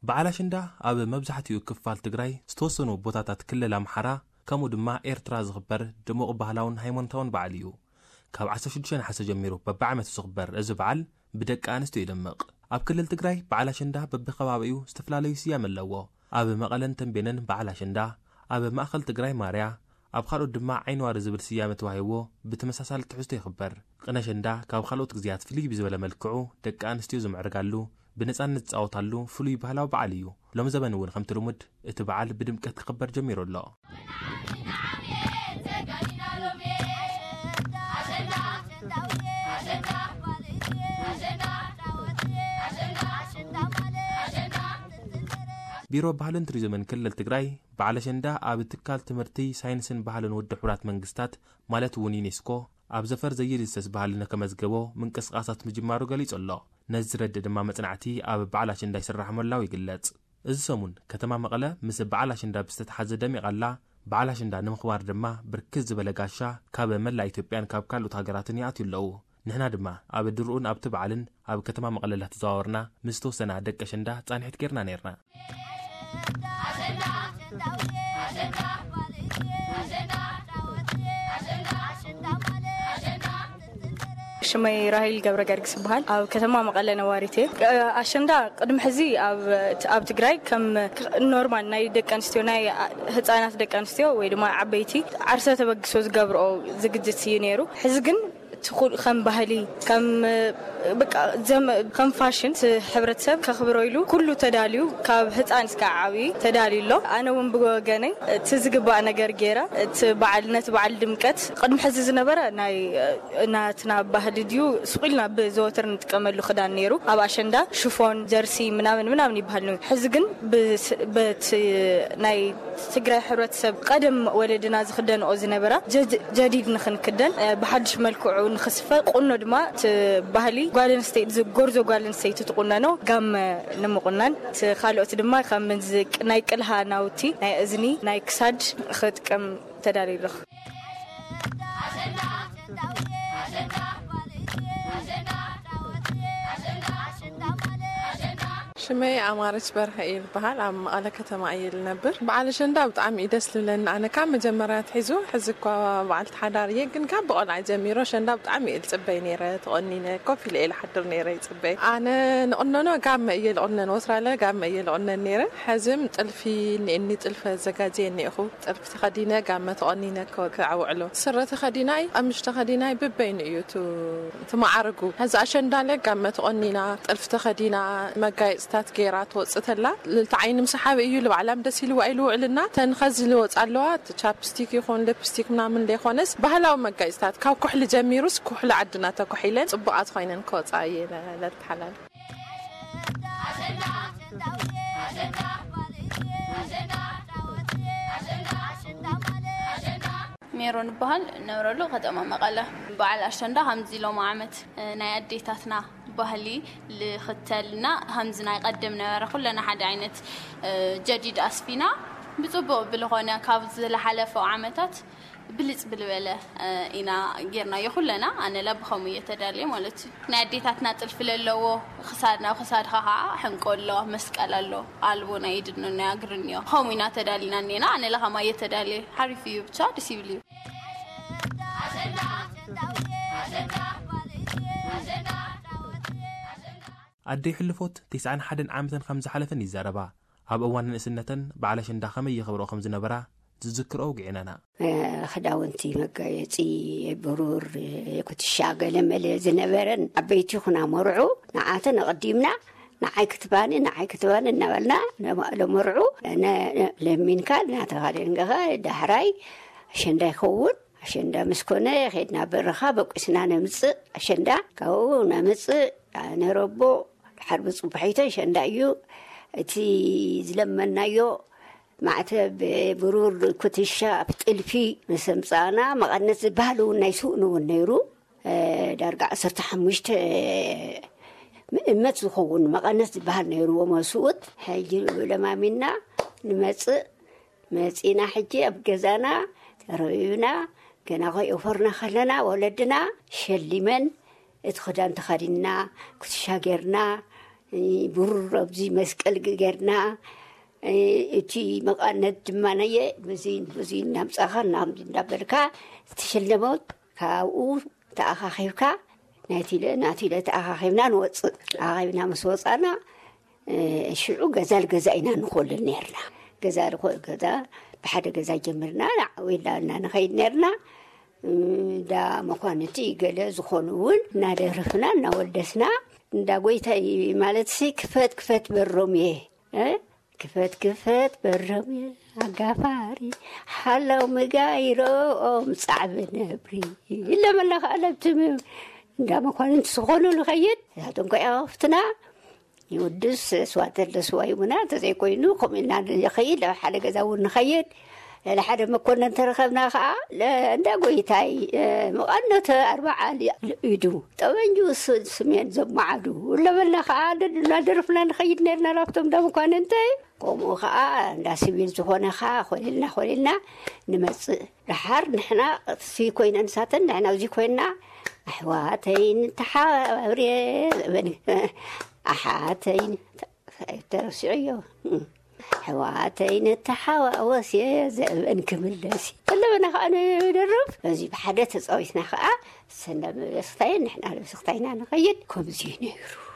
በዓል ኣሸንዳ ኣብ መብዛሕትኡ ክፋል ትግራይ ዝተወሰኑ ቦታታት ክልል ኣምሓራ ከምኡ ድማ ኤርትራ ዝኽበር ድሙቕ ባህላውን ሃይማኖታውን በዓል እዩ። ካብ ዓሰርተ ሽዱሽተ ነሓሰ ጀሚሩ በብዓመቱ ዝኽበር እዚ በዓል ብደቂ ኣንስትዮ ይደምቕ። ኣብ ክልል ትግራይ በዓል ኣሸንዳ በብኸባቢኡ ዝተፈላለዩ ስያመ ኣለዎ። ኣብ መቐለን ተንቤንን በዓል ኣሸንዳ፣ ኣብ ማእኸል ትግራይ ማርያ፣ ኣብ ካልኦት ድማ ዓይኒ ዋሪ ዝብል ስያመ ተዋሂብዎ ብተመሳሳሊ ትሕዝቶ ይኽበር። ቅነ ኣሸንዳ ካብ ካልኦት ግዜያት ፍልይ ብዝበለ መልክዑ ደቂ ኣንስትዮ ዝምዕርጋሉ፣ ብነፃነት ዝፃወታሉ ፍሉይ ባህላዊ በዓል እዩ። ሎም ዘበን እውን ከምቲ ልሙድ እቲ በዓል ብድምቀት ክኽበር ጀሚሩ ኣሎ። ቢሮ ባህልን ቱሪዝምን ክልል ትግራይ በዓል ኣሸንዳ ኣብ ትካል ትምህርቲ፣ ሳይንስን ባህልን ውድብ ሕቡራት መንግስታት ማለት እውን ዩኔስኮ ኣብ ዘፈር ዘይድሰስ ባህሊ ንከመዝገቦ ምንቅስቃሳት ምጅማሩ ገሊጹ ኣሎ። ነዚ ዝረድእ ድማ መጽናዕቲ ኣብ በዓል ኣሸንዳ ይስራሕ ምህላው ይግለጽ። እዚ ሰሙን ከተማ መቐለ ምስ በዓል ኣሸንዳ ብዝተተሓዘ ደሚቓ ኣላ። በዓል ኣሸንዳ ንምኽባር ድማ ብርክት ዝበለ ጋሻ ካብ መላእ ኢትዮጵያን ካብ ካልኦት ሃገራትን ይኣትዩ ኣለዉ። ንሕና ድማ ኣብ ድርኡን ኣብቲ በዓልን ኣብ ከተማ መቐለ እናተዘዋወርና ምስ ዝተወሰና ደቂ ኣሸንዳ ጻንሒት ጌርና ኔርና። ሽመይ ራሄል ገብረ ገርግስ ይበሃል። ኣብ ከተማ መቐለ ነዋሪት እየ። ኣሸንዳ ቅድሚ ሕዚ ኣብ ኣብ ትግራይ ከም ኖርማል ናይ ደቂ ኣንስትዮ ናይ ህፃናት ደቂ ኣንስትዮ ወይ ድማ ዓበይቲ ዓርሰ ተበግሶ ዝገብርኦ ዝግጅት እዩ ነይሩ። ሕዚ ግን እቲ ኩል ከም ባህሊ ከም በቃ ዘመ ከም ፋሽን እቲ ሕብረተሰብ ከኽብሮ ኢሉ ኩሉ ተዳልዩ ካብ ህፃን እስካብ ዓብዪ ተዳልዩ ኣሎ። ኣነ እውን ብወገነይ እቲ ዝግባእ ነገር ገይረ እቲ በዓል ነቲ በዓል ድምቀት ቅድሚ ሕዚ ዝነበረ ናይ ናትና ባህሊ ድዩ ሱቕ ኢልና ብዘወትር ንጥቀመሉ ክዳን ነይሩ። ኣብ ኣሸንዳ ሽፎን ጀርሲ ምናምን ምናምን ይበሃል ነይሩ። ሕዚ ግን ብስ- በቲ ናይ ትግራይ ሕብረተሰብ ቀደም ወለድና ዝኽደንኦ ዝነበራ ጀድ- ጀዲድ ንኽንክደን እ፣ ብሓድሽ መልክዑ ንኽስፈ ቁኖ ድማ እቲ ባህሊ ጓል ኣንስተይቲ ዝጎርዞ ጓል ኣንስተይቲ ትቁነኖ ጋመ ንምቁናን እቲ ካልኦት ድማ ከም ምንዚ ናይ ቅልሃ ናውቲ ናይ እዝኒ ናይ ክሳድ ክጥቀም ተዳልዩ ኣለኹ። ሽመይ ኣማረች በርሀ እየ ዝበሃል። ኣብ መቐለ ከተማ እየ ልነብር። በዓል ኣሸንዳ ብጣዕሚ እዩ ደስ ልብለኒ። ኣነ ካብ መጀመርያ ትሒዙ ሕዚ እኳ በዓልቲ ሓዳር እየ፣ ግን ካብ ብቆልዓ ጀሚሮ ኣሸንዳ ብጣዕሚ እየ ልፅበይ ነይረ። ተቆኒነ ኮፍ ኢለ እየ ልሓድር ነይረ ይፅበይ። ኣነ ንቕነኖ ጋመ እየ ልቕነን፣ ወትራለ ጋመ እየ ልቕነን ነይረ። ሕዝም ጥልፊ እኒእኒ፣ ጥልፊ ኣዘጋጀየ እኒእኹ። ጥልፊ ተኸዲነ ጋመ ተቆኒነ ከ- ከዕውዕሎ። ስረ ተኸዲናይ፣ ቀምሽ ተኸዲናይ ብበይኑ እዩ እቲ እቲ መዓርጉ። ሕዚ ኣሸንዳለ ጋመ ተቆኒና፣ ጥልፊ ተኸዲና፣ መጋየፅታት ገይራ ትወፅእ ተላ ልልቲ ዓይኒ ምሰሓቢ እዩ። ልባዕላም ደስ ኢልዋ ኢሉ ውዕልና ተንኸዚ ልወፅ ኣለዋ። እቲ ቻፕስቲክ ይኹን ሊፕስቲክ ምናምን ዘይኮነስ ባህላዊ መጋየፅታት ካብ ኩሕሊ ጀሚሩስ ኩሕሊ ዓድና ተኩሒለን ፅቡቓት ኮይነን ክወፃ እየ ለልቲ ሓላል። ሜሮን እበሃል። ነብረሉ ከተማ መቐለ። በዓል ኣሸንዳ ከምዚ ሎሚ ዓመት እ፣ ናይ ኣዴታትና ባህሊ ልኽተልና ከምዚ ናይ ቀደም ነበረ ኩለና ሓደ ዓይነት እ፣ ጀዲድ ኣስፊና ብፅቡቕ ብልኾነ ካብ ዝለሓለፈው ዓመታት ብልፅ ብልበለ ኢና ጌርናዮ ኩለና። ኣነ ለብኸሙ እየ ተዳልየ ማለት እዩ። ናይ ኣዴታትና ጥልፊ ለለዎ ክሳድ ናብ ክሳድኻ ከዓ ሕንቆ ኣሎ፣ መስቀል ኣሎ፣ ኣልቦ ናይ ኢድን ናይ እግርን እዮ። ከምኡ ኢና ተዳሊና እኔና። ኣነ ለኸማ እየ ተዳልየ። ሓሪፍ እዩ፣ ብቻ ደስ ይብል እዩ። ኣደይ ሕልፎት ተስዓን ሓደን ዓመተን ከም ዝሓለፈን ይዛረባ። ኣብ እዋን ንእስነተን በዓል ኣሸንዳ ከመይ የኽብርኦ ከም ዝነበራ ዝዝክርኦ ውግዒናና። ክዳውንቲ መጋየፂ ብሩር፣ ኩትሻ፣ ገለመለ ዝነበረን ዓበይቲ ይኹና መርዑ ንዓተን ኣቐዲምና ንዓይ ክትባኒ ንዓይ ክትባኒ እናበልና ለመርዑ ለሚንካ እናተኻደንገኻ ዳሕራይ ኣሸንዳ ይኸውን። ኣሸንዳ ምስ ኮነ ኸድና በረኻ በቂስና ነምፅእ። ኣሸንዳ ካብኡ ነምፅእ። ነረቦ ድሓር ብፅቡሒቶ ኣሸንዳ እዩ እቲ ዝለመናዮ ማዕተብ ብሩር ኩትሻ ጥልፊ ምስ ኣምፃእና መቐነት ዝበሃል እውን ናይ ስእኑ እውን ነይሩ። ዳርጋ ዓሰርተ ሓሙሽተ ምእመት ዝኸውን መቐነት ዝበሃል ነይርዎ መስኡት። ሕጂ ለማሚና ንመፅእ መፂና ሕጂ ኣብ ገዛና ተረቢብና ገና ከይኦፈርና ከለና ወለድና ሸሊመን እቲ ክዳን ተኸዲንና፣ ኩትሻ ጌርና፣ ብሩር ኣብዚ መስቀል ጌርና፣ እቲ መቐነት ድማ ነየ ብዙይ ብዙይ እናምጻኻ እናምዚ እንዳበልካ ትሽለመው። ካብኡ ተኣኻኺብካ ናይቲለ ናቲለ ተኣኻኺብና ንወፅእ። ተኣኻኺብና ምስ ወፃና ሽዑ ገዛ ልገዛ ኢና ንኮልል ነርና። ገዛ ልኮ ገዛ ብሓደ ገዛ ጀምርና ናዕዊላ እና ንኸይድ ነርና። እንዳ መኳንንቲ ገለ ዝኾኑ እውን እናደረፍና እናወደስና፣ እንዳ ጎይታይ ማለት ሲ ክፈት ክፈት በሮም እየ። ክፈት ክፈት በሮም እየ ኣጋፋሪ ሓላው ምጋይሮኦም ጻዕቢ ነብሪ። ኢለመና ከዓ ለብቲ እንዳ መኳንንቲ ዝኾኑ ንኸይድ እሳቶም ከ ያወፍትና ይውድስ ስዋ ተለ ስዋ ይሙና። እንተዘይኮይኑ ከምኡ ኢልና ንኸይድ ኣብ ሓደ ገዛ እውን ንኸይድ። ለለ ሓደ መኮንን ተረኸብና ከዓ እንዳ ጎይታይ መቐነተ ኣርባዓ ኢዱ ጠበንጁ ስሜን ዘማዓዱ ለበልና ከዓ እናደረፍና ንኸይድ ነርና ናብቶም እንዳ መኳንንተይ። ከምኡ ከዓ እንዳ ሲቪል ዝኾነ ከዓ ኮሊልና ኮሊልና ንመፅእ። ደሓር ንሕና እዚ ኮይነን ንሳተን ንሕና እዚ ኮይንና ኣሕዋተይ ንተሓባብር እየ ዘበን ኣሓተይ ተረሲዑ እዮ። ኣሕዋተይ ንተሓዋወስ እየ ዘበን ክምለስ እዩ። ከለበና ከዓ ንደርፍ በዚ ብሓደ ተፃዊትና ከዓ ሰንዳ መበስክታየን ንሕና ለብስክታይና ንኸይድ። ከምዚ እዩ ነይሩ።